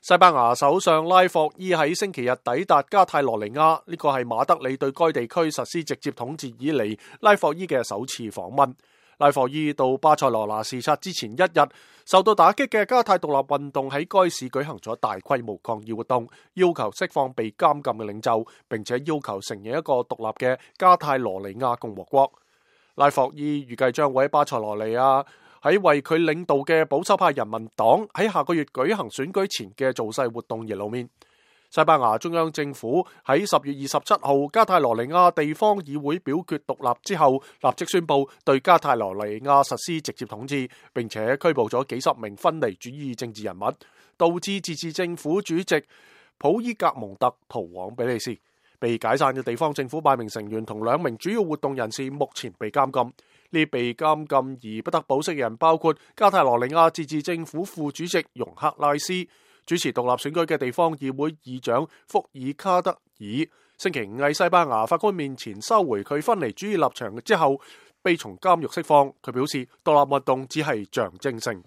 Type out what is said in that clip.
西班牙首相拉霍伊喺星期日抵達加泰羅尼亞，呢個係馬德里對該地區實施直接統治以嚟拉霍伊嘅首次訪問。拉霍伊到巴塞羅那視察之前一日，受到打擊嘅加泰獨立運動喺該市舉行咗大規模抗議活動，要求釋放被監禁嘅領袖，並且要求承認一個獨立嘅加泰羅尼亞共和國。拉霍伊預計將會喺巴塞羅尼亞喺為佢領導嘅保守派人民黨喺下個月舉行選舉前嘅造勢活動而露面。西班牙中央政府喺10月27號加泰羅尼亞地方議會表決獨立之後，立即宣布對加泰羅尼亞實施直接統治，並且拘捕咗幾十名分離主義政治人物，導致自治政府主席普伊格蒙特逃往比利時。被解散嘅地方政府8名成員同2名主要活動人士目前被監禁。呢被監禁而不得保釋嘅人包括加泰羅尼亞自治政府副主席容克拉斯、主持獨立選舉嘅地方議會議長福爾卡德爾。星期5喺西班牙法官面前收回佢分離主義立場之後，被從監獄釋放。佢表示獨立運動只係象徵性。